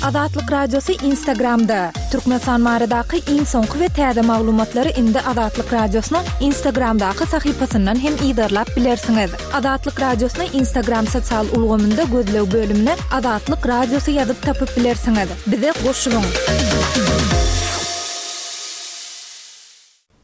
Azatlyk Radiosy Instagramda! Türkmenistan baradaky iň soňky we täze maglumatlary indi Azatlyk Radiosynyň Instagramdaky sahypasyndan hem yzarlap bilersiňiz. Azatlyk Radiosyny Instagram sosial ulgamynda gözleg bölümine Azatlyk Radiosy ýazyp tapyp bilersiňiz. Bize goşulyň!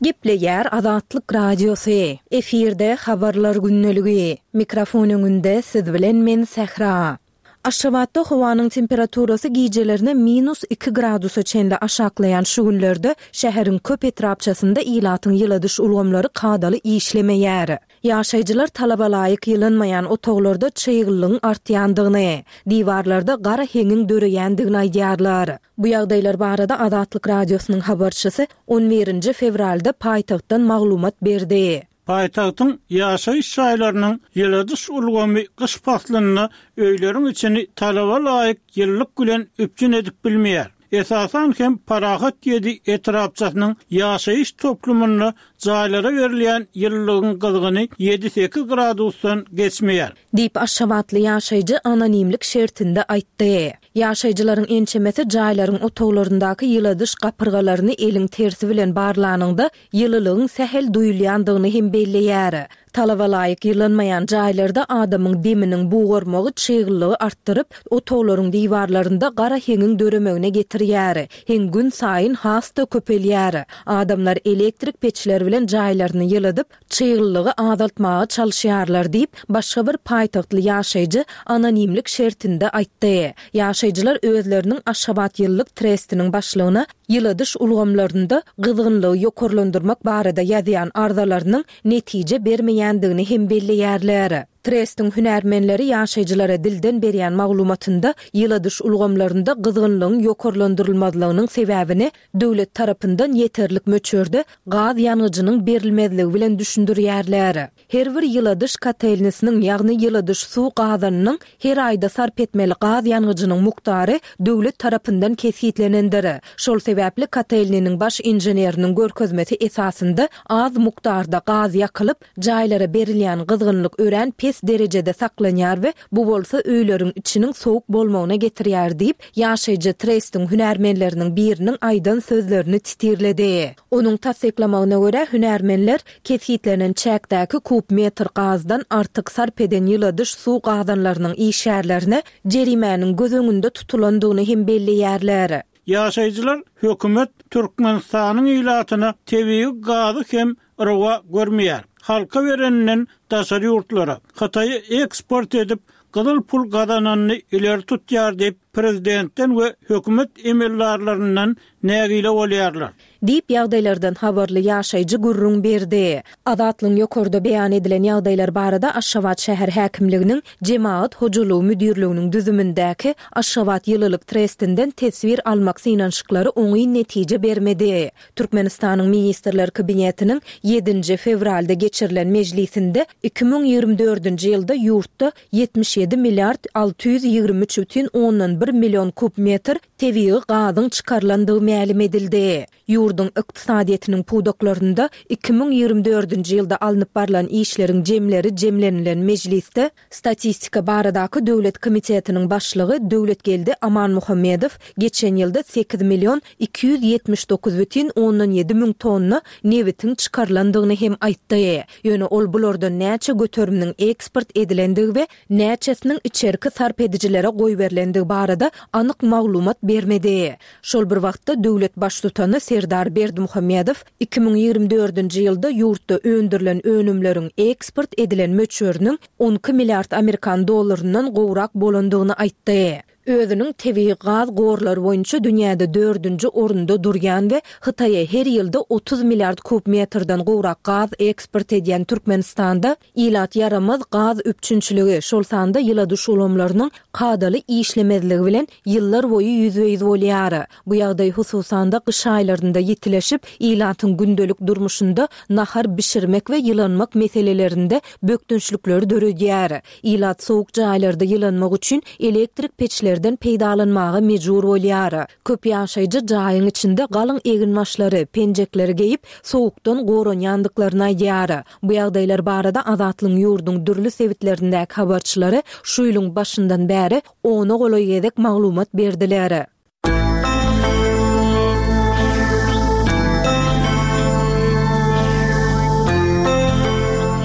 Gepleýär Azatlyk Radiosy, efirde Habarlar gündeligi. Mikrofon öňünde siz bilen men Sähra. Aşgabatda howanyň temperaturasy gijelerine minus iki gradusa çenli aşaklaýan şu günlerde şäheriň köp etrapçasynda ilatyň ýyladyş ulgamlary kadaly işlemeýär. Ýaşaýjylar talaba laýyk ýylanmaýan otaglarda çyglylygyň artýandygyny, diwarlarda gara heňiň döreýändigini aýdýarlar. Bu ýagdaýlar barada Azatlyk Radiosynyň habarçysy on birinji fewralda paýtagtdan maglumat berdi. Paýtagtyň ýaşaýyş jaýlarynyň ýyladyş ulgamy gyş paslynda öýleriň içini talaba laýyk ýylylyk bilen üpjün edip bilmeýär. Esasan hem Parahat ýedi etrapçasynyň ýaşaýyş toplumynda jaýlara berilýän ýylylygyň gyzgyny ýedi-sekiz gradusdan geçmeýär. Diýip, aşgabatly ýaşaýjy anonimlik şertinde aýtdy. Ýaşaýjylaryň ençemesi jaýlaryň otaglaryndaky ýyladyş gapyrgalaryny eliň tersi bilen barlanyňda, ýylylygyň sähel duýulýandygyny hem belleýär. Talaba laýyk ýylanmaýan jaýlarda adamyň deminiň bugarmagy çyglylygy artdyryp, otaglaryň diwarlarynda gara heňiň döremegine getirýär. Heň günsaýyn has-da köpelýär. Adamlar elektrik peçler bilen jaýlaryny ýyladyp, çyglylygy azaltmaga çalyşýarlar diýip, başga bir paýtagtly ýaşaýjy anonimlik şertinde aýtdy. Ýaşaýjylar özleriniň Aşgabatýylylyk trestiniň başlygyna ýyladyş ulgamlarynda gyzgynlygy ýokarlandyrmak barada ýazýan arzalarynyň netije bermeýändigini hem belleýärler. Trestiň hünärmenleri ýaşaýjylara dilden berýän maglumatynda ýyladyş ulgamlarynda gyzgynlygyň ýokarlandyrylmazlygynyň sebäbini döwlet tarapyndan ýeterlik möçberde gaz ýangyjynyň berilmezligi bilen düşündirýärler. Her bir ýyladyş kotelnisiniň, ýagny ýyladyş suw gazanynyň her aýda sarp etmeli gaz ýangyjynyň mukdary döwlet tarapyndan kesgitlenendir. Şol sebäpli kotelniniň baş inženeriniň görkezmesi esasynda az mukdarda gaz ýakylyp, jaýlara berilýän gyzgynlyk örän pes derejede saklanýar we bu bolsa öýleriň içiniň sowuk bolmagyna getirýär diýip, ýaşaýjy trestiň hünärmenleriniň biriniň aýdan sözlerini titirledi. Onuň tassyklamagyna görä, hünärmenler kesgitlenen çäkdäki kub metr gazdan artyk sarp eden ýyladyş suw gazanlarynyň işgärlerine jerimäniň göz öňünde tutulandygyny hem belleýärler. Ýaşaýjylar hökümet Türkmenistanyň ilatyna tebigy gazy hem rowa görmeýär. Halka bereninden daşary ýurtlara, Hytaýa eksport edip, gyzyl pul gazananyny ileri tutýar diýip, prezidentden we hökümet emeldarlaryndan nägile bolýarlar. Diýip, ýagdaýlardan habarly ýaşaýjy gürrüň berdi. Azatlygyň ýokarda beýan edilen ýagdaýlar barada Aşgabat şäher häkimliginiň Jemagat hojalygy müdirliginiň düzümindäki Aşgabat ýylylyk trestinden teswir almak synanyşyklary oňyn netije bermedi. Türkmenistanyň Ministrler Kabinetiniň ýedinji fewralda geçirilen mejlisinde 2024-nji ýylda ýurtda 77 milliard 623 bütin ondan bir million kub metr tebigy gazyň çykarylandygy mälim edildi. Ýurduň ykdysadyýetiniň pudaklarynda 2024-nji ýylda alnyp barlan işleriň jemleri jemlenilen mejlisde Statistika baradaky döwlet komitetiniň başlygy Döwletgeldi Amanmuhammedow geçen ýylda sekiz million 279 bütin ondan ýedi müň tonna nebitiň çykarylandygyny hem aýtdy. Ýöne ol bulardan näçe göteriminiň eksport edilendigi we näçesiniň içerki sarp edijilere goýberilendigi barada anyk maglumat bermedi. Şol bir wagtda, döwlet Baştutany Serdar Berdimuhamedow 2024-nji ýylda ýurtda öndürilen önümleriň eksport edilen möçberiniň 12 milliard amerikan dollaryndan gowrak bolandygyny aýtdy. Özüniň tebigy gaz gorlary boýunça dünýäde dördünji orunda durýan we Hytaýa her ýylda 30 milliard kub metrden gowrak gaz eksport edýän Türkmenistanda ilat ýaramaz gaz üpjünçiligi, şol sanda ýyladyş ulgamlarynyň kadaly işlemezligi bilen ýyllar boýy ýüzbe-ýüz bolýar. Bu ýagdaý hususan-da gyş aýlarynda ýitileşip, ilatyň gündelik durmuşynda nahar bişirmek we ýylanmak meselelerinde bökdençlikleri döredýär. Ilat sowuk jaýlarda ýylanmak üçin elektrik peçlerden peýdalanmaga mejbur bolýar. Köp ýaşaýjy jaýyň içinde galyň eginbaşlary, penjekleri geýip, sowukdan goranýandyklaryny aýdýar. Bu ýagdaýlar barada Azatlygyň ýurduň dürli sebitlerindäki habarçylary şu ýylyň başyndan bäri ona golaý gezek maglumat berdiler.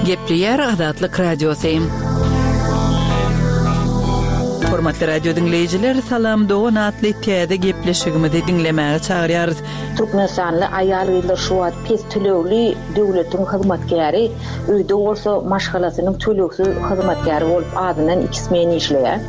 Gepleýär Azatlyk Radiosy. Hormatly radio diňleýjiler, Salam dogan atly täze gepleşigimizi diňlemäge çagyrýarys. Türkmenistanly aýal-gyzlar şu wagt pes tölegli döwletiň hyzmatkäri, öýde bolsa maşgalasynyň tölegsiz hyzmatkäri bolup azyndan iki smen işleýär.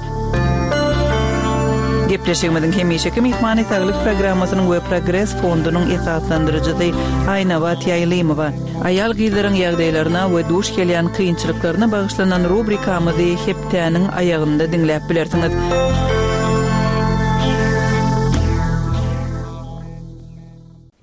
Gepleşigimiziň hemişeki myhmany Saglyk programmasynyň we Progres fondunyň esaslandyryjysy Aýnabat Ýaýlymowa. Aýal-gyzlaryň ýagdaýlaryna we duş gelýän kynçylyklaryna bagyşlanan rubrikamyzy hepdäniň aýagynda diňläp bilersiňiz.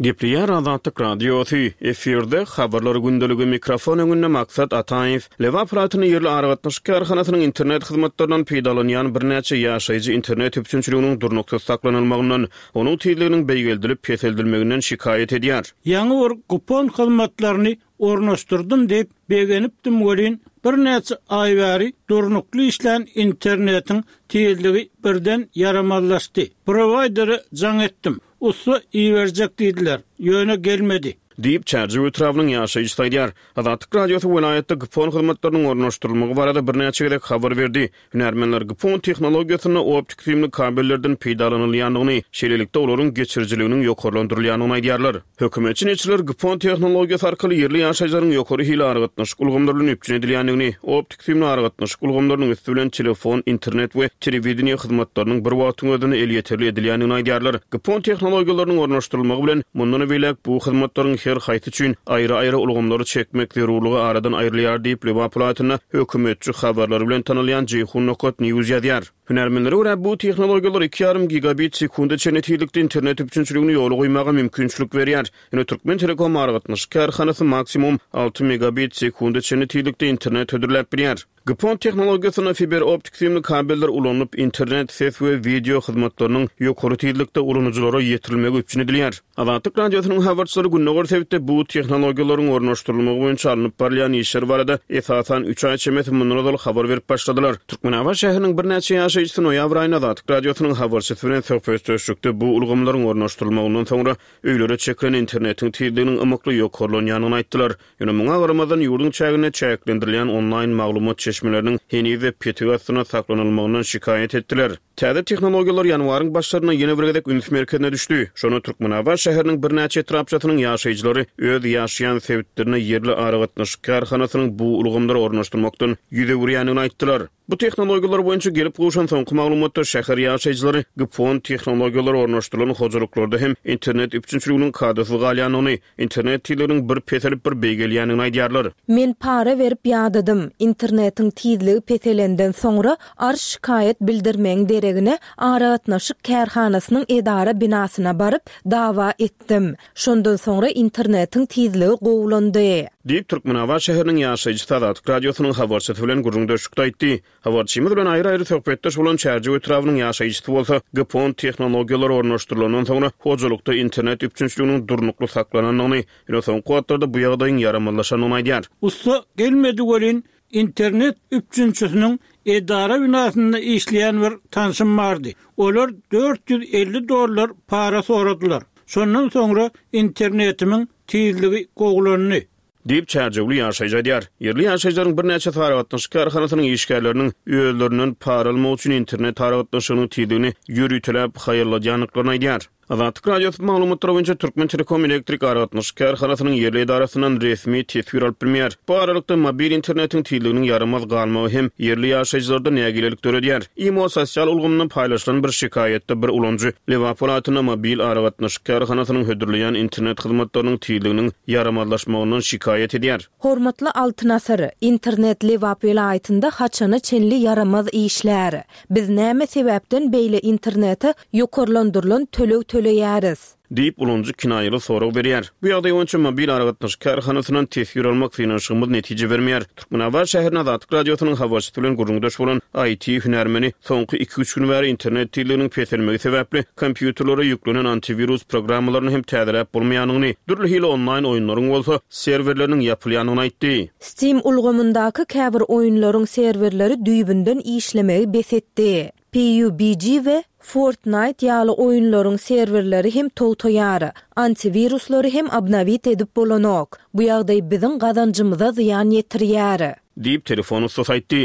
Gepleýär Azatlyk Radiosy, efirde Habarlar gündeligi, mikrofon öňünde Maksat Ataýew. Lebap welaýatynda ýerli aragatnaşyk kärhanasynyň internet hyzmatlaryndan peýdalanýan birnäçe ýaşaýjy internet üpjünçiliginiň durnuksyz saklanylmagyndan, onuň tizliginiň beýgeldilip peseldilmeginden şikaýat edýär. Ýaňy bir kupon hyzmatlaryny ornaşdyrdym diýip begenipdim welin, birnäçe aý bäri durnukly işlän internetiň tizligi birden ýaramazlaşdy. Prowaýdere jaň etdim. Ussa iberjek diýdiler, ýöne gelmedi. Diýip, Çärjew etrabynyň ýaşaýjysy aýdýar. Azatlyk Radiosy welaýatda GPON hyzmatlarynyň ornaşdyrylmagy barada birnäçe gezek habar berdi. Hünärmenler GPON tehnologiýasynda optik süýümli kabellerden peýdalanylýandygyny, şeýlelikde, olaryň geçirijiliginiň ýokarlandyrylýandygyny aýdýarlar. Hökümetçi neşirler GPON tehnologiýasy arkaly ýerli ýaşaýjylaryň ýokary hili aragatnaşyk ulgamlary bilen üpjün edilýändigini, optik süýümli aragatnaşyk ulgamlarynyň üsti bilen telefon, internet we telewideniýe hyzmatlarynyň bir wagtyň özünde elýeterli edilýändigini aýdýarlar. GPON tehnologiýalarynyň ornaşdyrylmagy bilen, mundan beýläk bu hyzmatlaryň her haýsy üçin aýry-aýry ulgamlary çekmek zerurlygy aradan aýrylýar diýip, Lebap welaýatynda hökümetçi habarlary bilen tanalýan Jeýhun nokat news ýazýar. Hünärmenlere görä, bu tehnologiýalar iki ýarym gigabit sekunda çenli tizlikde internet üpjünçiligini ýola goýmaga mümkinçilik berýär. Ýöne Türkmentelekom aragatnaşyk kärhanasy maksimum alty megabit sekunda çenli tizlikde internet hödürläp bilýär. GPON tehnologiýasynda fiber optik süýümli kabeller ulanylyp, internet, ses we wideo hyzmatlarynyň ýokary tizlikde ulanyjylara ýetirilmegi üpjün edilýär. Azatlyk Radiosynyň habarçylary gündogar sebitde bu tehnologiýalaryň ornaşdyrylmagy boýunça alnyp barylýan işler barada esasan üç aý çemesi mundan ozal habar berip başladylar. Türkmenabat şäheriniň birnäçe ýaşaýjysy noýabr aýynda Azatlyk Radiosynyň habarçysy bilen söhbetdeşlikde bu ulgamlaryň ornaşdyrylmagyndan soňra öýlere çekilen internetiň tizliginiň ymykly ýokarlanýandygyny aýtdylar. Ýöne muňa garamazdan, ýurduň çäginde çäklendirilýän onlaýn maglumat çeşmeleriniň heniz-de petik astynda saklanylmagyndan şikaýat etdiler. Täze tehnologiýalar ýanwaryň başlarynda ýene bir gezek üns merkezine düşdi. Şonda Türkmenabat şäheriniň birnäçe etrapçasynyň ýaşaýjylary öz ýaşaýan sebitlerine ýerli aragatnaşyk kärhanasynyň bu ulgamlary ornaşdyrmakdan ýüz öwürýändigini aýtdylar. Bu tehnologiýalar boýunça gelip gowşan soňky maglumatda şäher ýaşaýjylary GPON tehnologiýalary ornaşdyrylan hojalyklarda hem internet üpjünçiliginiň kadasyz galýandygyny, internet tizliginiň bir peselip, bir beýgelýändigini aýdýarlar. Men para berip ýadadym. Internetiň tizligi peselenden soňra arz-şikaýat bildirmegiň deregine aragatnaşyk kärhanasynyň edara binasyna baryp, dawa etdim. Şondan soňra internetiň tizligi gowulandy. Diýip, Türkmenabat şäheriniň ýaşaýjysy Azatlyk Radiosynyň habarçysy bilen gürrüňdeşlikde aýtdy. Habarçymyz bilen aýry-aýry söhbetdeş bolan Çärjew etrabynyň ýaşaýjysy bolsa, GPON tehnologiýalary ornaşdyrylandan soňra hojalykda internet üpjünçiliginiň durnukly saklanandygyny, ýöne soňky wagtlarda bu ýagdaýyň ýaramazlaşandygyny aýdýar. Ussa gelmedi welin, Internet üpjünçisiniň edara binasynda işleýän bir tanşym bardy. Olar 450 dollar para soradylar. Şondan soňra internetimiň tizligi gowulandy. Diýip, çärjewli ýaşaýjy aýdýar. Ýerli ýaşaýjylaryň birnäçesi aragatnaşyk kärhanasynyň işgärleriniň özlerinden para almak üçin internet aragatnaşygynyň tizligini ýöriteläp haýalladýandyklaryny aýdýar. Azatlyk Radiosy bu maglumatlar boýunça Türkmentelekom elektrik aragatnaşyk kärhanasynyň ýerli edarasyndan resmi teswir alyp bilmeýär. Bu aralykda, mobil internetiň tizliginiň ýaramaz galmagy hem ýerli ýaşaýjylarda nägilelik döredýär. Imo sosial ulgamynda paýlaşylan bir şikaýatda bir ulanyjy Lebap welaýatynda mobil aragatnaşyk kärhanasynyň hödürleýän internet hyzmatlarynyň tizliginiň ýaramazlaşmagyndan şikaýat edýär. Hormatly Altyn Asyr, internet Lebap welaýatynda haçana çenli ýaramaz işlär? Biz näme sebäpden beýle internete ýokarlandyrylan töleg töleýäris? Diýip, ulanyjy kinaýaly sorag berýär. Bu ýagdaý boýunça mobil aragatnaşyk kärhanasyndan teswir almak synanyşygymyz netije bermeýär. Türkmenabat şäherinde Azatlyk Radiosynyň habarçysy bilen gürrüňdeş bolan IT hünärmeni soňky iki-üç gün bäri internet tizliginiň peselmegi sebäpli kompýuterlere ýüklenen antiwirus programmalaryny hem täzeläp bolmaýandygyny, dürli hili onlaýn oýunlaryň bolsa serwerleriniň ýapylýandygyny aýtdy. Steam ulgamyndaky käbir oýunlaryň serwerleri düýbünden işlemegi bes etdi. PUBG we. Fortnite ýaly oýunlaryň serwerleri hem togtaýar. Antiwiruslary hem obnowit edip bolanok. Bu ýagdaý biziň gazanjymyza zyýan ýetirýär. Diýip, telefon ussasy aýtdy.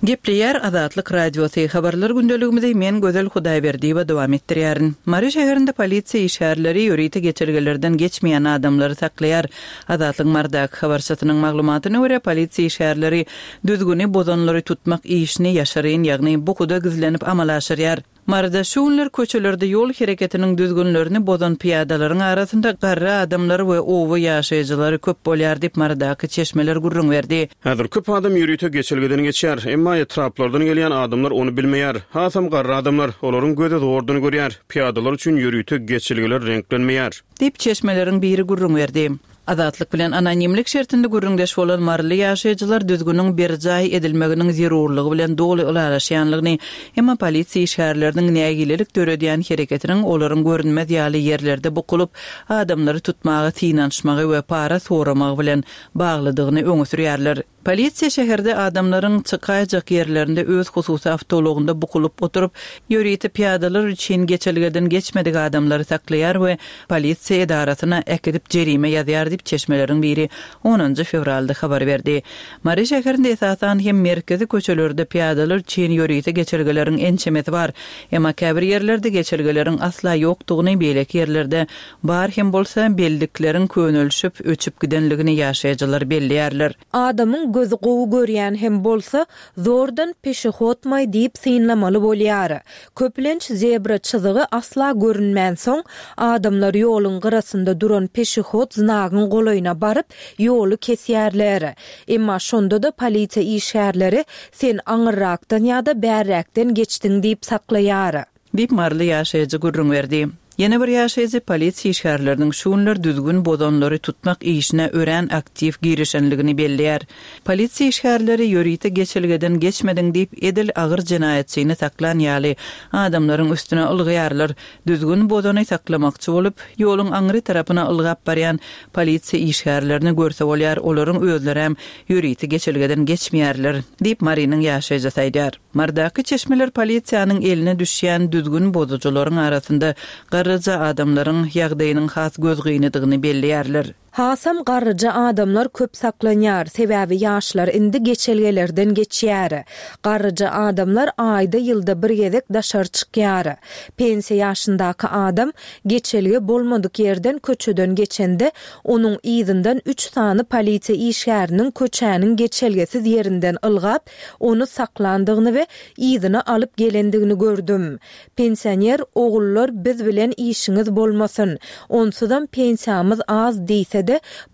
Gepleýär Azatlyk Radiosy, Habarlar gündeligimizi men Gözel Hudaýberdiýewa dowam etdirýärin. Mary şäherinde polisiýa işgärleri ýörite geçelgelerden geçmeýän adamlary saklaýar. Azatlygyň Marydaky habarçysynyň maglumatyna görä, polisiýa işgärleri düzgüni bozanlary tutmak işini ýaşyryn, ýagny bukuda gizlenip amala aşyrýar. Maryda şu günler köçelerde ýol hereketiniň düzgünlerini bozan pyýadalaryň arasynda garry adamlar we oba ýaşaýjylary köp bolýar diýip, Marydaky çeşmeler gürrüň berdi. Häzir köp adam ýörite geçelgeden geçýär. Emma etraplardan gelýän adamlar ony bilmeýär. Hasam garry adamlar. Olaryň gözi zordan görýär. Pyýadalar üçin ýörite geçelgeler reňklenmeýär. Diýip, çeşmeleriň biri gürrüň berdi. Azatlyk bilen anonimlik şertinde gürrüňdeş bolan maryly ýaşaýjylar düzgüniň berjaý edilmeginiň zerurlygy bilen doly ylalaşýanlygyny, emma polisiýa işgärleriniň nägilelik döredýän hereketiniň olaryň görünmez ýaly ýerlerde bukulyp, adamlary tutmaga synanyşmagy we para soramagy bilen baglydygyny öňe sürýärler. Polisiýa şäherde adamlaryň çykaýjak ýerlerinde öz hususy awtoulagynda bukulyp oturyp, ýörite pyýadalar üçin geçelgeden geçmedik adamlary saklaýar we polisiýa edarasyna äkidip jerime ýazýar diýip, çeşmeleriň biri onunjy fewralda habar berdi. Mary şäherinde esasan hem merkezi köçelerde pyýadalar üçin ýörite geçelgeleriň ençemesi bar. Emma käbir ýerlerde geçelgeleriň asla ýokdugyny, beýleki ýerlerde Bar hem bolsa, bellikleriň könelişip, öçüp gidenligini ýaşaýjylar belleýärler. Adamyň gözi gowy görýän hem bolsa, zordan peşehodmaý diýip synlamaly bolýar. Köplenç zebra çyzygy asla görünmänsoň, adamlar ýoluň gyrasynda duran peşehod znagyň golaýyna baryp, ýoly kesýärler. Emma şonda-da polisiýa işgärleri sen aňyrrakdan ýa-da bärräkden geçdiň diýip saklaýar. Diýip, maryly ýaşaýjy gürrüň berdi. Ýene bir ýaşaýjy polisiýa işgärleriniň şu günler düzgün bozanlary tutmak işine örän aktiw girişenligini belleýär. Polisiýa işgärleri ýörite geçelgeden geçmediň diýip, edil agyr jenaýatçyny saklan ýaly, adamlaryň üstüne ylgaýarlar. Düzgün bozany saklamakçy bolup, ýoluň aňry tarapyna ylgap barýan polisiýa işgärlerini görse bolýar, olaryň özlerem ýörite geçelgeden geçmeýärler, diýip, Marynyň ýaşaýjysy aýdýar. Marydaky çeşmeler polisiýanyň eline düşýän düzgün bozujylaryň arasynda garryja adamlaryň ýagdaýynyň has gözgynydygyny belleýärler. Hasam garryja adamlar köp saklanýar, sebäbi ýaşlar indi geçelgelerden geçýär. Garryja adamlar aýda-ýylda bir gezek daşary çykýar. Pensiýa ýaşyndaky adam geçelge bolmadyk ýerden köçeden geçende, onuň yzyndan üç sany polisiýa işgäriniň köçäniň geçelgesiz ýerinden ylgap, ony saklandygyny we yzyna alyp gelendigini gördüm. Pensioner ogullar biz bilen işiňiz bolmasyn, onsuzam pensiýamyz az diýse-de,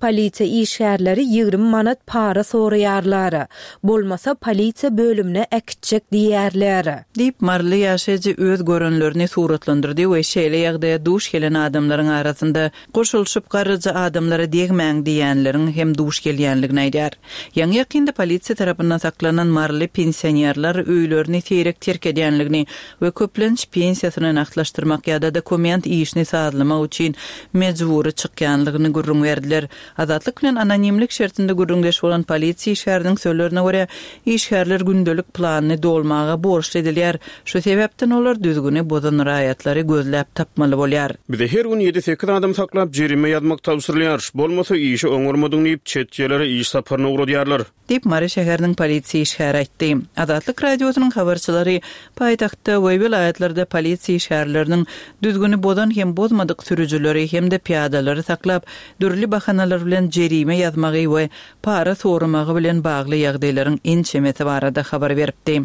polisiýa işgärleri 20 manat para soraýarlar. Bolmasa polisiýa bölümine äkitjek diýýärler. Diýip, maryly ýaşaýjy öz görenlerini suratlandyrdy we şeýle ýagdaýa duş gelen adamlaryň arasynda Goşulyşyp garryja adamlara degmäň diýýänleriň hem duş gelýänligini aýdýar. Ýaňy-ýakynda polisiýa tarapyndan saklanan maryly pensionerler öýlerini seýrek terk edýänligini we köplenç pensiýasyny nagtlaşdyrmak ýa-da dokument işini sazlamak üçin mejbury çykýanlygyny gürrüň berdiler. Azatlyk bilen anonimlik şertinde gürrüňdeş bolan polisiýa işgäriniň sözlerine görä, işgärler gündelik planyny dolmaga borçly edilýär. Şu sebäpden olar düzgüni bozan raýatlary gözläp tapmaly bolýar. Bize her gün ýedi-sekiz adam saklap, jerime ýazmak tabşyrylýar. Bolmasa, işi oňarmadyň diýip, çet ýerlere iş saparyna ugradýarlar. Diýip, Mary şäheriniň polisiýa işgäri aýtdy. Azatlyk Radiosynyň habarçylary paýtagtda we welaýatlarda polisiýa işgärleriniň düzgüni bozan hem bozmadyk sürüjileri hem-de pyýadalary saklap, dürli bahanalar bilen jerime ýazmagy we para soramagy bilen bagly ýagdaýlaryň ençemesi barada habar beripdi.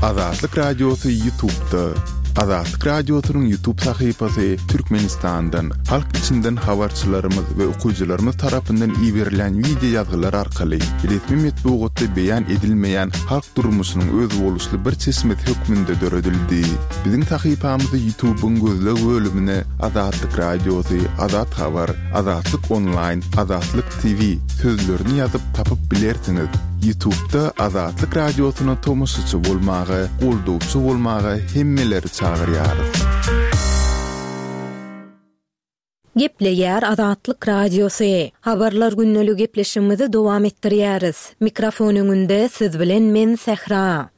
Azatlyk Radiosy Ýutubda. Azatlyk Radiosynyň Ýutub sahypasy Türkmenistandan, halk içinden habarçylarymyz we okyjylarymyz tarapyndan iberilen wideo ýazgylar arkaly resmi metbugatda beýan edilmeýän halk durmuşynyň özboluşly bir çeşmesi hökmünde döredildi. Biziň sahypamyzy Ýutubyň gözleg bölümine Azatlyk Radiosy, Azat Habar, Azatlyk Onlaýn, Azatlyk TV sözlerini ýazyp tapyp bilersiňiz. Ýutubda Azatlyk Radiosyna tomaşaçy bolmaga, goldawçy bolmaga hemmeleri çagyrýarys. Gepleýär Azatlyk Radiosy. Habarlar gündeligi gepleşigimizi dowam etdirýäris. Mikrofon öňünde siz bilen men Sähra.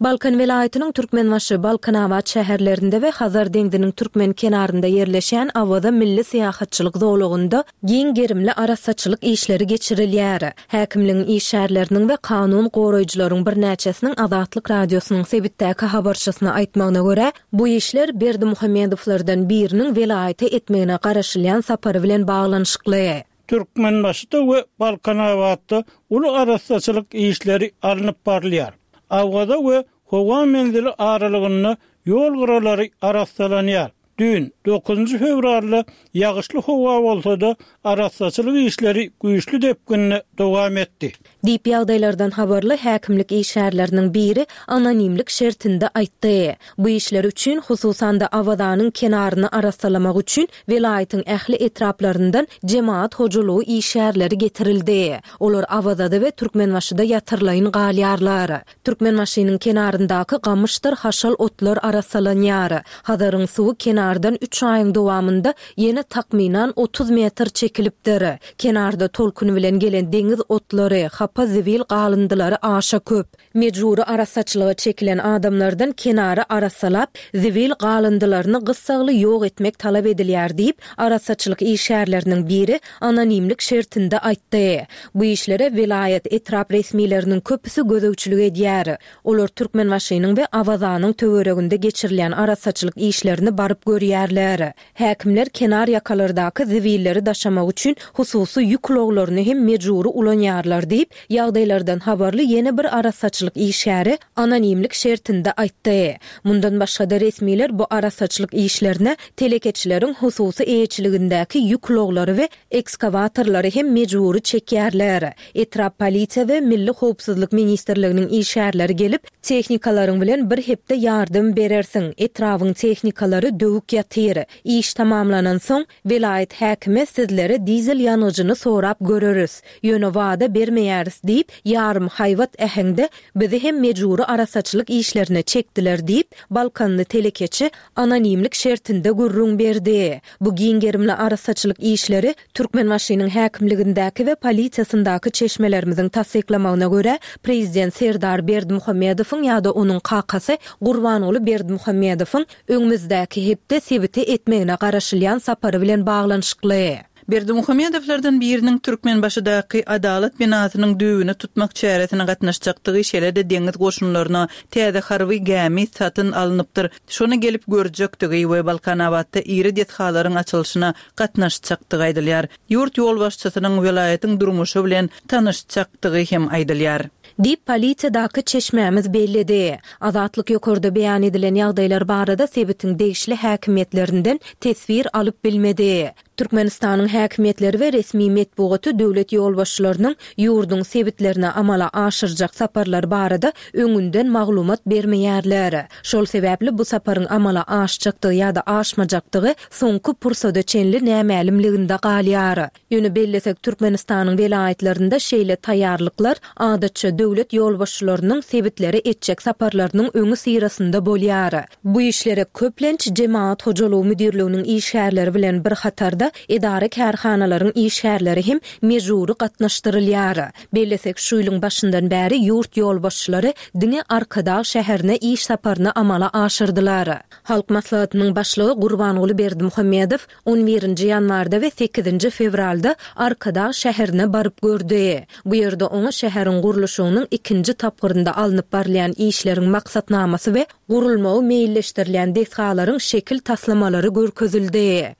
Balkan welaýatynyň Türkmenbaşy, Balkanabat şäherlerinde we Hazar deňziniň türkmen kenarynda ýerleşýän Awaza milli syýahatçylyk zolagynda giň gerimli arassaçylyk işleri geçirilýär. Häkimligiň işgärleriniň we kanun goraýjylaryň birnäçesiniň Azatlyk Radiosynyň sebitdäki habarçysyna aýtmagyna görä, bu işler Berdimuhamedowlardan biriniň welaýata etmegine garaşylýan sapary bilen baglanyşykly. Türkmenbaşyda we Balkanabatda uly arassaçylyk işleri alnyp barylýar. Awaza we howa menzili aralygynda ýol gyralary arassalanýar. Düýn, dokuzynjy fewralda ýagyşly howa bolsa-da, arassaçylyk işleri güýçli depginde dowam etdi. Diýip, ýagdaýlardan habarly häkimlik işgärleriniň biri anonimlik şertinde aýtdy. Bu işler üçin, hususan-da Awazanyň kenaryny arassalamak üçin welaýatyň ähli etraplaryndan jemagat hojalygy işgärleri getirildi. Olar Awazada we Türkmenbaşyda ýatyrlaýyn galýarlar. Türkmenbaşynyň kenaryndaky gamyşdyr haşal otlar arassalanýar. Hazaryň suwy kenardan üç aýyň dowamynda ýene takmynan 30 metr çekilipdir. Kenarda tolkun bilen gelen deňiz otlary, hapa zibil galyndylary aşa köp. Mejbury arassaçylyga çekilen adamlardan kenary arassalap, zibil galyndylaryny gyssagly ýok etmek talap edilýär diýip, arassaçylyk işgärleriniň biri anonimlik şertinde aýtdy. Bu işlere welaýat, etrap resmileriniň köpüsi gözegçilik edýär. Olar Türkmenbaşynyň we Awazanyň töwereginde geçirilýän arassaçylyk işlerini baryp görýärler. Häkimler kenar ýakalardaky zibilleri daşamak üçin hususy ýük ulaglaryny hem mejbury ulanýarlar diýip, ýagdaýlardan habarly ýene bir arassaçylyk işgäri anonimlik şertinde aýtdy. Mundan başga-da resmiler bu arassaçylyk işlerine telekeçileriň hususy eýeçiligindäki ýük ulaglary we ekskawatorlary hem mejbury çekýärler. Etrap polisiýa we Milli howpsuzlyk ministrliginiň işgärleri gelip, tehnikalaryň bilen bir hepde ýardam berersiň, etrabyň tehnikalary döwük ýatyr. Iş tamamlanansoň, welaýat häkime sizlere dizel ýangyjyny sorap göreris. Ýöne wada bermeýäris diýip, ýarym haýbat äheňde bizi hem mejbury arassaçylyk işlerine çekdiler diýip, balkanly telekeçi anonimlik şertinde gürrüň berdi. Bu giň gerimli arassaçylyk işleri Türkmenbaşynyň häkimligindäki we polisiýasyndaky çeşmelerimiziň tassyklamagyna görä, prezident Serdar Berdimuhamedowyň ýa-da onuň kakasy Gurbanguly Berdimuhamedowyň öňümizdäki hepde sebite etmegine garaşylýan sapary bilen baglanyşykly. Berdimuhamedowlardan biriniň Türkmenbaşydaky Adalat binasynyň düýbüni tutmak çäresine gatnaşjakdygy, şeýle-de deňiz goşunlaryna täze harby gämi satyn alnypdyr, şony gelip görjekdigi we Balkanabatda iri desgalaryň açylyşyna gatnaşjakdygy aýdylýar. Ýurt ýolbaşçysynyň welaýatyň durmuşy bilen tanyşjakdygy hem aýdylýar. Diýip, polisiýadaky çeşmämiz belledi. Azatlyk ýokarda beýan edilen ýagdaýlar barada sebitiň degişli häkimiýetlerinden teswir alyp bilmedi. Türkmenistanyň häkimiýetleri we resmi metbugaty döwlet ýolbaşçylarynyň ýurduň sebitlerine amala aşyrjak saparlary barada öňünden maglumat bermeýärler. Şol sebäpli bu saparyň amala aşjakdygy ýa-da aşmajakdygy soňky pursada çenli nämälimliginde galýar. Ýöne bellesek, Türkmenistanyň welaýatlarynda şeýle taýýarlyklar adatça döwlet ýolbaşçylarynyň sebitlere etjek saparlarynyň öňüsyrasynda bolýar. Bu işlere köplenç Jemagat hojalygy müdirliginiň işgärleri bilen bir hatarda edara-kärhanalaryň işgärleri hem mejbury gatnaşdyrylýar. Bellesek, şu ýylyň başyndan bäri ýurt ýolbaşçylary diňe Arkadag şäherine iş saparyny amala aşyrdylar. Halk Maslahatynyň Başlygy Gurbanguly Berdimuhamedow On birinji ýanwarda we sekizinji fewralda Arkadag şäherine baryp gördi. Bu ýerde oňa şäheriň gurluşygynyň ikinji tapgyrynda alnyp barylýan işleriň maksatnamasy we gurulmagy meýilleşdirilýän desgalaryň şekil taslamalary görkezildi.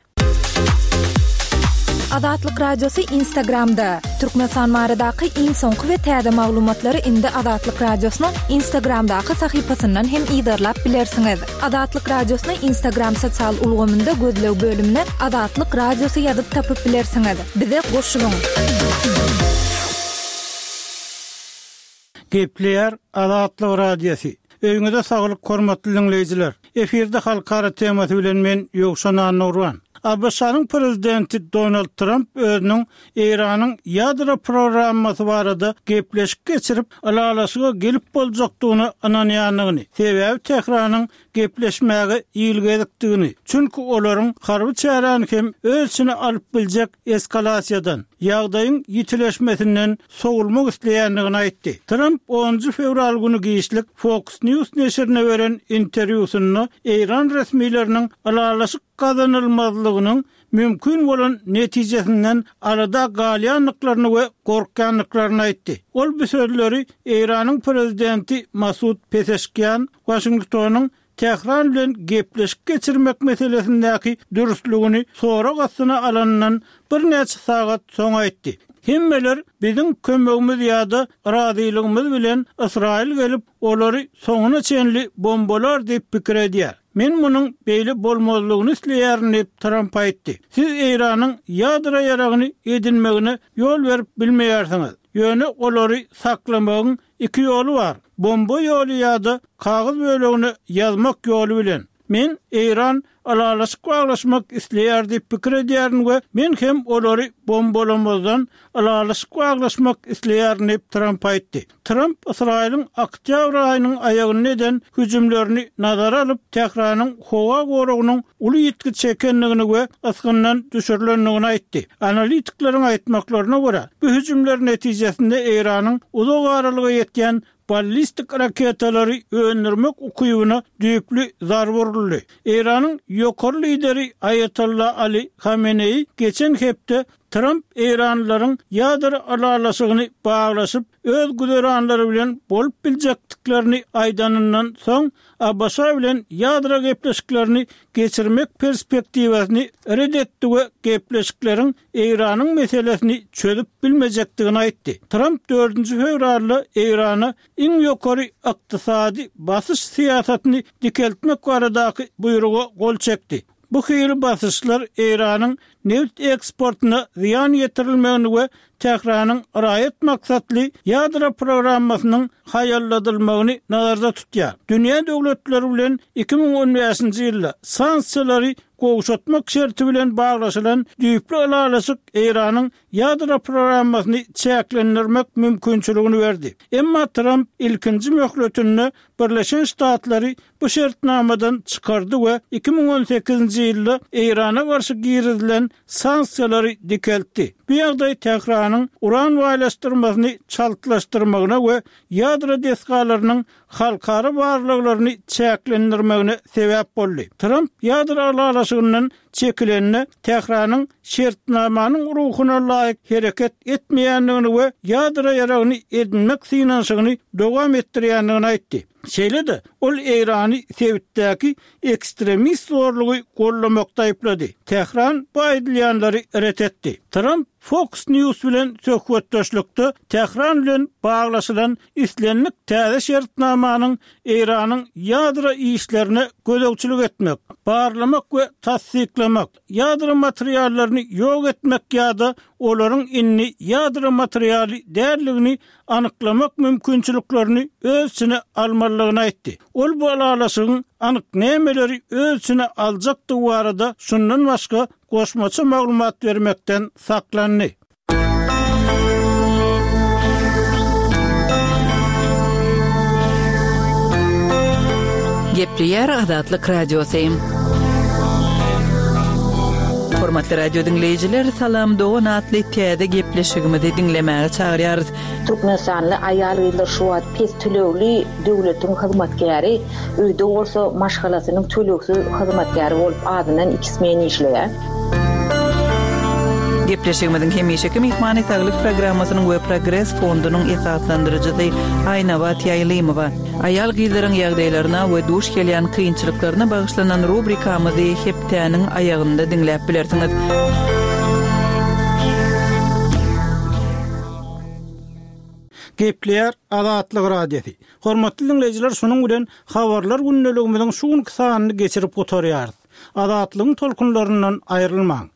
Azatlyk Radiosy Instagramda, Türkmenistan baradaky iň soňky we täze maglumatlary indi Azatlyk Radiosynyň Instagramdaky sahypasyndan hem yzarlap bilersiňiz. Azatlyk Radiosyny Instagram sosial ulgamynda gözleg bölümine Azatlyk Radiosy ýazyp tapyp bilersiňiz. Bize goşulyň! Gepleýär Azatlyk Radiosy. Öýüňize saglyk hormatly diňleýjiler. Efirde halkara temasy bilen men Ýowşan Annagurban. ABŞ-nyň prezidenti Donald Tramp özüniň Eýranyň ýadro programmasy barada gepleşik geçirip, ylalaşyga gelip boljakdygyna ynanýandygyny, sebäbi Tähranyň gepleşmäge ilgezikdigini, çünki olaryň harby çäräni hem öz içine alyp biljek eskalasiýadan, ýagdaýyň ýitileşmesinden sowulmak isleýändigini aýtdy. Tramp onunjy fewral güni giçlik Fox News neşirine beren interwýusynda eýran resmileriniň ylalaşyk gazanylmazlygynyň mümkin bolan netijesinden alada galýandyklaryny we gorkýandyklaryny aýtdy. Ol bu sözleri Eýranyň prezidenti Masud Peseşkian Waşingtonyň Tähran bilen gepleşik geçirmek meselesindäki dürslügini sorag astyna alanyndan birnäçe sagat soň aýtdy. Hemmeler biziň kömegimiz ýa-da razylygymyz bilen Ysraýyl gelip, olary soňuna çenli bombalar diýip pikir edýär. Men munuň beýle bolmazlygyny isleýärin diýip, Tramp aýtdy. Siz Eýranyň ýadro ýaragyny edinmegine ýol berip bilmeýärsiňiz. Ýöne olary saklamagyň Iki ýoly bar, bomba ýoly ýa-da kagyz bölegine ýazmak ýoly bilen. Men Eýran ylalaşyk baglaşmak isleýär diýip pikir edýärin we men hem olary bombalamazdan ylalaşyk baglaşmak isleýärin diýip, Tramp aýtdy. Tramp Ysraýylyň oktýabr aýynyň aýagynda eden hüjümlerini nazara alyp, Tähranyň howa goragynyň uly ýitgi çekendigini we ysgyndan düşürilendigini aýtdy. Analitikleriň aýtmaklaryna görä, bu hüjümler netijesinde Eýranyň uzak aralyga ýetýän ballistik raketalary öndürmek ukybyna düýpli zarba uruldy. Eýranyň ýokary lideri Aýatolla Ali Hameneýi geçen hepde Tramp eýranlylaryň ýadro ylalaşygyny baglaşyp, öz güzeranlary bilen bolup biljekdiklerini aýdanyndan soň, ABŞ bilen ýadro gepleşiklerini geçirmek perspektiwasyny ret etdi we gepleşikleriň Eýranyň meselesini çözüp bilmejekdigini aýtdy. Tramp dördünji fewralda Eýrana iň ýokary ykdysady basyş syýasatyny dikeltmek baradaky buýruga gol çekdi. Bu hili basyşlar Eýranyň nebit eksportyna zyýan ýetirilmegini we Tähranyň raýat maksatly ýadro programmasynyň haýalladylmagyny nazarda tutýar. Dünýä döwletleri bilen 2015-nji ýylda sanksiýalary gowşatmak şerti bilen baglaşylan düýpli ylalaşyk Eýranyň ýadro programmasyny çäklendirmek mümkinçiligini berdi. Emma Tramp ilkinji möhletinde Birleşen Ştatlary bu şertnamadan çykardy we 2018-nji ýylda Eýrana garşy girizilen sanksiýalary dikeltdi. Bu ýagdaý Tähranyň uran baýlaşdyrmasyny çaltlaşdyrmagyna we ýadro desgalarynyň halkara barlaglaryny çäklendirmegine sebäp boldy. Tramp ýadro ylalaşygyndan çekilende Tähranyň şertnamanyň ruhuna laýyk hereket etmeýändigini we ýadro ýaragyny edinmek synanyşygyny dowam etdirýändigini aýtdy. Şeýle-de, ol Eýrany sebitdäki ekstremist zorlugy goldamakda aýyplady. Tähran bu aýdylýanlary ret etdi. Tramp Fox News bilen söhbetdeşlikde Tähran bilen baglaşylan islendik täze şertnamanyň Eýranyň ýadro işlerine gözegçilik etmek, barlamak we tassyklamak, ýadro materiallaryny ýok etmek ýa-da olaryň indi ýadro materialy däldigini anyklamak mümkinçiliklerini öz içine almalydygyny aýtdy. Ol bu ylalaşygyň anyk nämeleri öz içine aljakdygy barada şundan başga goşmaça maglumat bermekden saklandy. Gepleýär Azatlyk Radiosy. Hormatly radio diňleýjiler, Salam dogan atly täze gepleşigimizi diňlemäge çagyrýarys. Türkmenistanly aýal-gyzlar şu wagt pes tölegli döwletiň hyzmatkäri, öýde bolsa maşgalasynyň tölegsiz hyzmatkäri bolup azyndan iki smen işleýär. Gepleşigimiziň hemişeki myhmany Saglyk programmasynyň we Progres fondunyň esaslandyryjysy Aýnabat Ýaýlymowa. Aýal-gyzlaryň ýagdaýlaryna we duş gelýän kynçylyklaryna bagyşlanan rubrikamyzy hepdäniň aýagynda diňläp bilersiňiz. Gepleýär Azatlyk Radiosy. Hormatly diňleýjiler şunuň bilen Habarlar gündeligimiziň şu günki sanyny geçirip gutarýarys. Azatlygyň tolkunlaryndan aýrylmaň.